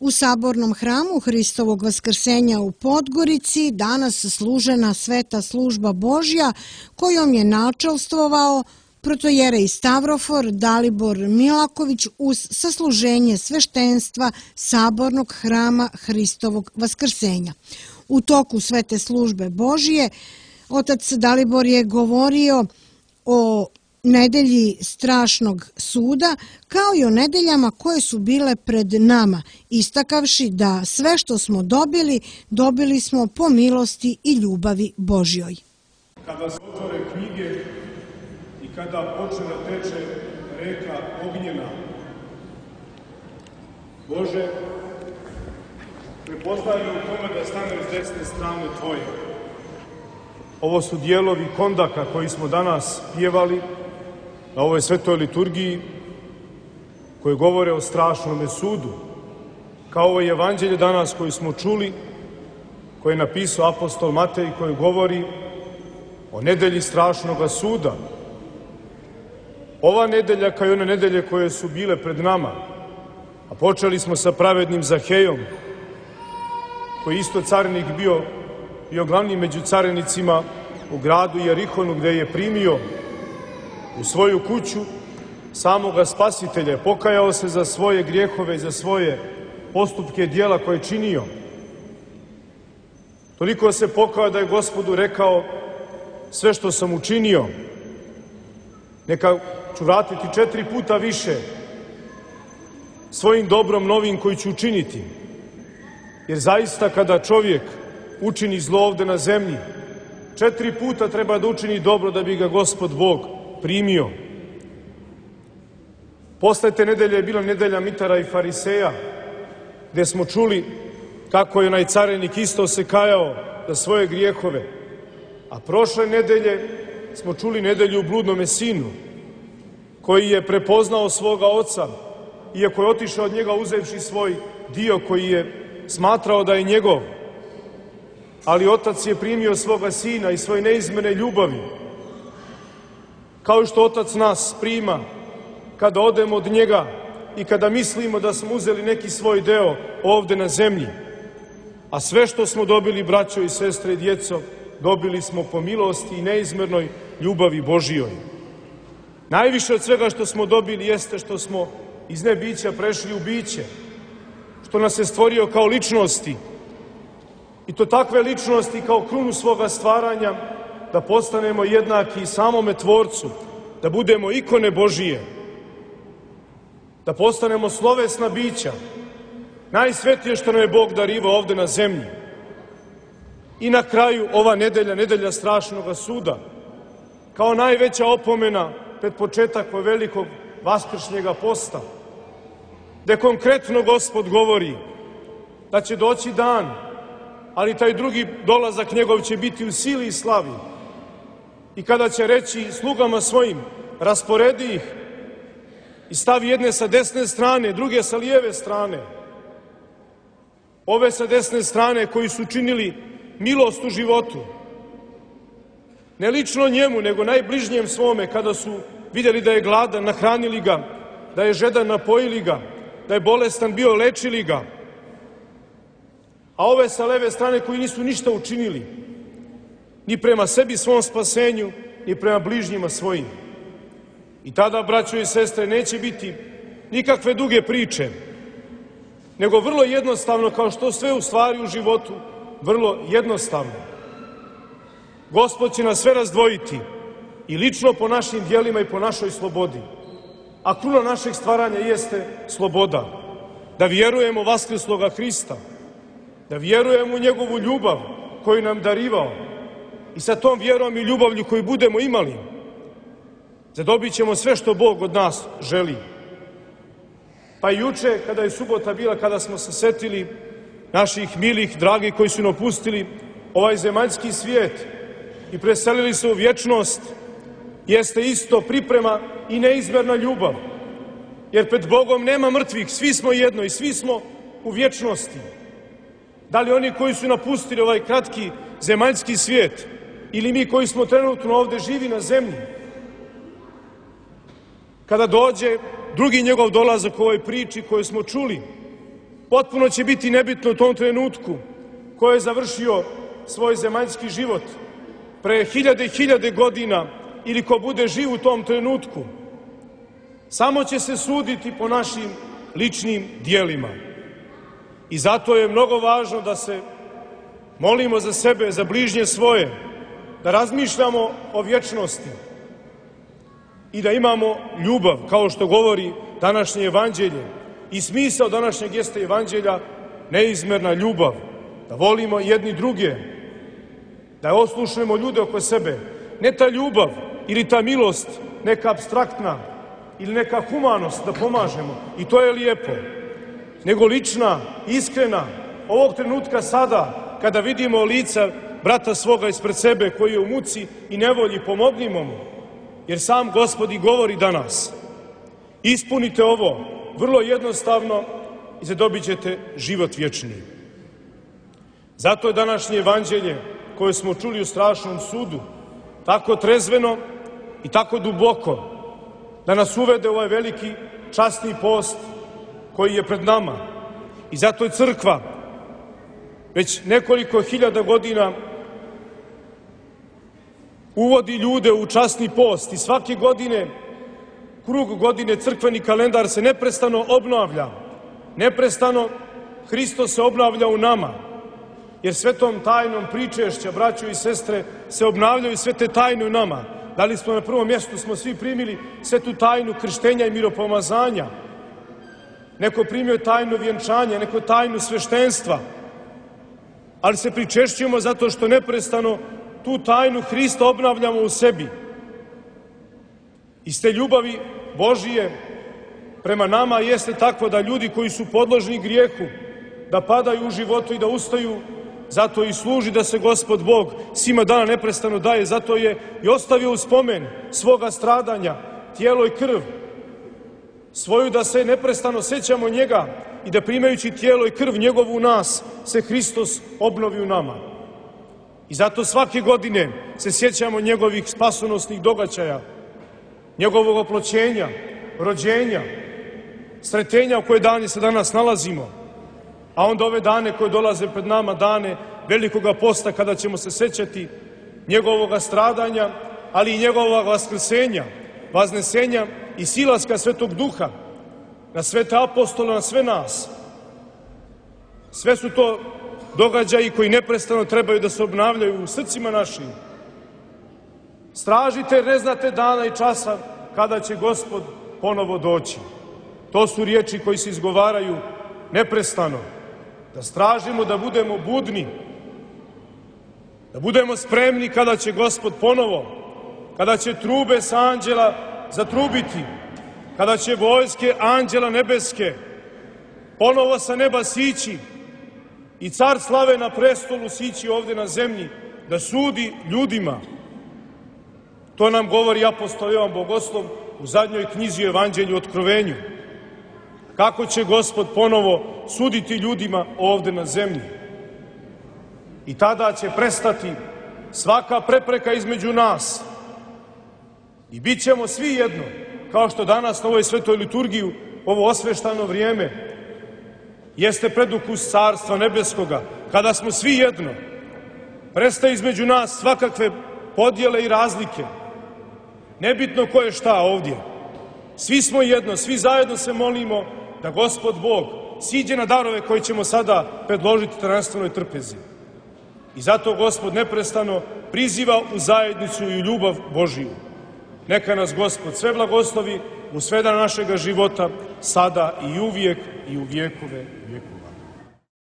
U Sabornom hramu Hristovog Vaskrsenja u Podgorici danas služena sveta služba Božja kojom je načelstvovao protojerej Stavrofor Dalibor Milaković uz sasluženje sveštenstva Sabornog hrama Hristovog Vaskrsenja. U toku svete službe Božje otac Dalibor je govorio o nedelji strašnog suda, kao i o nedeljama koje su bile pred nama, istakavši da sve što smo dobili, dobili smo po milosti i ljubavi Božjoj. Kada se otvore knjige i kada počne da teče reka ognjena, Bože, prepoznaj me u tome da stanem s desne strane Tvoje. Ovo su dijelovi kondaka koji smo danas pjevali na ovoj svetoj liturgiji, koje govore o strašnome sudu, kao ovo evanđelje danas koje smo čuli, koje je napisao apostol Matej, koji govori o nedelji strašnoga suda. Ova nedelja, kao i one nedelje koje su bile pred nama, a počeli smo sa pravednim Zahejom, koji isto carinik bio glavni među carinicima u gradu Jerihonu, gde je primio u svoju kuću samoga Spasitelja, pokajao se za svoje grijehove i za svoje postupke i djela koje je činio. Toliko se pokajao da je Gospodu rekao: sve što sam učinio, neka ću vratiti 4 puta više svojim dobrom novim koji ću učiniti. Jer zaista kada čovjek učini zlo ovde na zemlji, 4 puta treba da učini dobro da bi ga Gospod Bog primio. Posle te nedelje je bila nedelja mitara i fariseja, gde smo čuli kako je onaj carinik isto se kajao za svoje grijehove. A prošle nedelje smo čuli nedelju u bludnome sinu, koji je prepoznao svoga oca, iako je otišao od njega uzevši svoj dio koji je smatrao da je njegov. Ali otac je primio svoga sina i svoje neizmerne ljubavi, kao što otac nas prima kada odemo od njega i kada mislimo da smo uzeli neki svoj deo ovde na zemlji. A sve što smo dobili, braćo i sestre i djeco, dobili smo po milosti i neizmernoj ljubavi Božijoj. Najviše od svega što smo dobili jeste što smo iz nebića prešli u biće, što nas je stvorio kao ličnosti, i to takve ličnosti kao krunu svoga stvaranja, da postanemo jednaki samome Tvorcu, da budemo ikone Božije, da postanemo slovesna bića, najsvetije što nam je Bog darivao ovde na zemlji. I na kraju ova nedelja, nedelja strašnoga suda, kao najveća opomena pred početak velikog vaskršnjega posta, gde konkretno Gospod govori da će doći dan, ali taj drugi dolazak njegov će biti u sili i slavi. I kada će reći slugama svojim: rasporedi ih i stavi jedne sa desne strane, druge sa lijeve strane. Ove sa desne strane koji su činili milost u životu, ne lično njemu, nego najbližnjem svome, kada su vidjeli da je gladan, nahranili ga, da je žedan, napojili ga, da je bolestan bio, lečili ga. A ove sa leve strane koji nisu ništa učinili, ni prema sebi svom spasenju, ni prema bližnjima svojim. I tada, braćo i sestre, neće biti nikakve duge priče, nego vrlo jednostavno, kao što sve u stvari u životu, vrlo jednostavno. Gospod će nas sve razdvojiti, i lično po našim djelima i po našoj slobodi. A kruna našeg stvaranja jeste sloboda. Da vjerujemo u vaskrsloga Hrista, da vjerujemo u njegovu ljubav koju nam darivao, i sa tom vjerom i ljubavlju koju budemo imali, zadobit ćemo sve što Bog od nas želi. Pa i juče, kada je subota bila, kada smo se setili naših milih, dragih koji su napustili ovaj zemaljski svijet i preselili se u vječnost, jeste isto priprema i neizmerna ljubav. Jer pred Bogom nema mrtvih, svi smo jedno i svi smo u vječnosti. Da li oni koji su napustili ovaj kratki zemaljski svijet, ili mi koji smo trenutno ovde živi na zemlji. Kada dođe drugi njegov dolazak u ovoj priči koju smo čuli, Potpuno će biti nebitno u tom trenutku ko je završio svoj zemaljski život pre hiljade i hiljade godina ili ko bude živ u tom trenutku. Samo će se suditi po našim ličnim dijelima. I zato je mnogo važno da se molimo za sebe, za bližnje svoje, da razmišljamo o vječnosti i da imamo ljubav, kao što govori današnje evanđelje. I smisao današnjeg jeste evanđelja neizmerna ljubav, da volimo jedni druge, da oslušnemo ljude oko sebe. Ne ta ljubav ili ta milost neka apstraktna ili neka humanost da pomažemo, i to je lijepo, nego lična, iskrena, ovog trenutka sada, kada vidimo lica brata svoga ispred sebe koji je u muci i nevolji, pomognimo mu, jer sam Gospod i govori danas. Ispunite ovo vrlo jednostavno i zadobit ćete život vječni. Zato je današnje evanđelje koje smo čuli u strašnom sudu tako trezveno i tako duboko da nas uvede u ovaj veliki časni post koji je pred nama. I zato je crkva već nekoliko hiljada godina uvodi ljude u časni post i svake godine, krug godine, crkveni kalendar se neprestano obnavlja. Neprestano Hristos se obnavlja u nama, jer svetom tajnom pričešća, braćo i sestre, se obnavljaju sve te tajne u nama. Da li smo na prvom mjestu, smo svi primili svetu tajnu krštenja i miropomazanja. Neko primio tajnu vjenčanja, neko tajnu sveštenstva, ali se pričešćujemo zato što neprestano tu tajnu Hrista obnavljamo u sebi. Iz te ljubavi Božije prema nama jeste takvo da ljudi koji su podložni grijehu, da padaju u životu i da ustaju, zato i služi da se Gospod Bog svima dana neprestano daje, zato je i ostavio u spomen svoga stradanja, tijelo i krv, svoju da se neprestano sećamo njega i da primajući tijelo i krv njegovu u nas, se Hristos obnovi u nama. I zato svake godine se sjećamo njegovih spasonosnih događaja, njegovog oploćenja, rođenja, sretenja u koje dane se danas nalazimo, a onda ove dane koje dolaze pred nama, dane velikoga posta, kada ćemo se sećati njegovoga stradanja, ali i njegovog vaskrsenja, vaznesenja i silaska Svetog Duha na svete apostole, na sve nas. Sve su to događaji koji neprestano trebaju da se obnavljaju u srcima našim. Stražite jer ne znate dana i časa kada će Gospod ponovo doći. To su riječi koji se izgovaraju neprestano. Da stražimo, da budemo budni, da budemo spremni kada će Gospod ponovo, kada će trube sa anđela zatrubiti, kada će vojske anđela nebeske ponovo sa neba sići i car slave na prestolu sići ovde na zemlji da sudi ljudima. To nam govori apostol Jovan Bogoslov u zadnjoj knjizi o Evanđelju Otkrovenju. Kako će Gospod ponovo suditi ljudima ovde na zemlji. I tada će prestati svaka prepreka između nas i bit ćemo svi jedno, kao što danas na ovoj svetoj liturgiji, ovo osveštano vrijeme, jeste predukus Carstva Nebeskoga, kada smo svi jedno. Prestaje između nas svakakve podjele i razlike. Nebitno ko je šta ovdje. Svi smo jedno, svi zajedno se molimo da Gospod Bog siđe na darove koje ćemo sada predložiti tajanstvenoj trpezi. I zato Gospod neprestano priziva u zajednicu i u ljubav Božiju. Neka nas Gospod sve blagoslovi u sve dana našega života, sada i uvijek i u vjekove vjekova.